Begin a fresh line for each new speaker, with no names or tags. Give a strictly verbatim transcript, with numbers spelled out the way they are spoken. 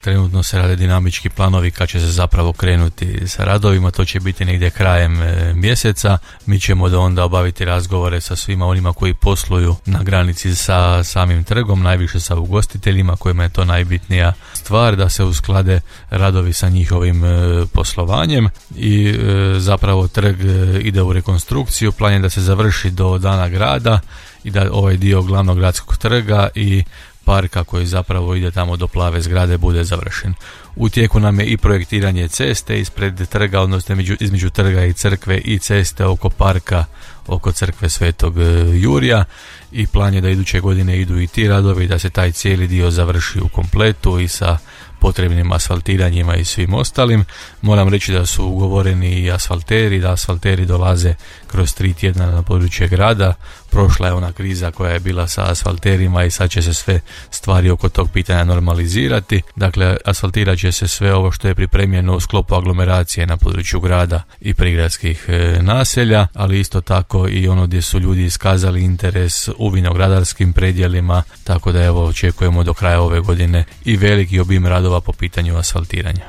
Trenutno se rade dinamički planovi kad će se zapravo krenuti sa radovima, to će biti negdje krajem e, mjeseca. Mi ćemo da onda obaviti razgovore sa svima onima koji posluju na granici sa samim trgom, najviše sa ugostiteljima kojima je to najbitnija stvar, da se usklade radovi sa njihovim e, poslovanjem i e, zapravo trg e, ide u rekonstrukciju. Plan je da se završi do dana grada i da ovaj dio glavnog gradskog trga i parka koji zapravo ide tamo do plave zgrade bude završen. U tijeku nam je i projektiranje ceste ispred trga, odnosno između, između trga i crkve i ceste oko parka, oko crkve Svetog Jurija, i plan je da iduće godine idu i ti radovi, da se taj cijeli dio završi u kompletu i sa potrebnim asfaltiranjima i svim ostalim. Moram reći da su ugovoreni i asfalteri, da asfalteri dolaze kroz tri tjedna na područje grada. Prošla je ona kriza koja je bila sa asfalterima i sad će se sve stvari oko tog pitanja normalizirati. Dakle, asfaltirat će se sve ovo što je pripremljeno u sklopu aglomeracije na području grada i prigradskih e, naselja, ali isto tako i ono gdje su ljudi iskazali interes u vinogradarskim predjelima, tako da evo očekujemo do kraja ove godine i veliki obim radova po pitanju asfaltiranja.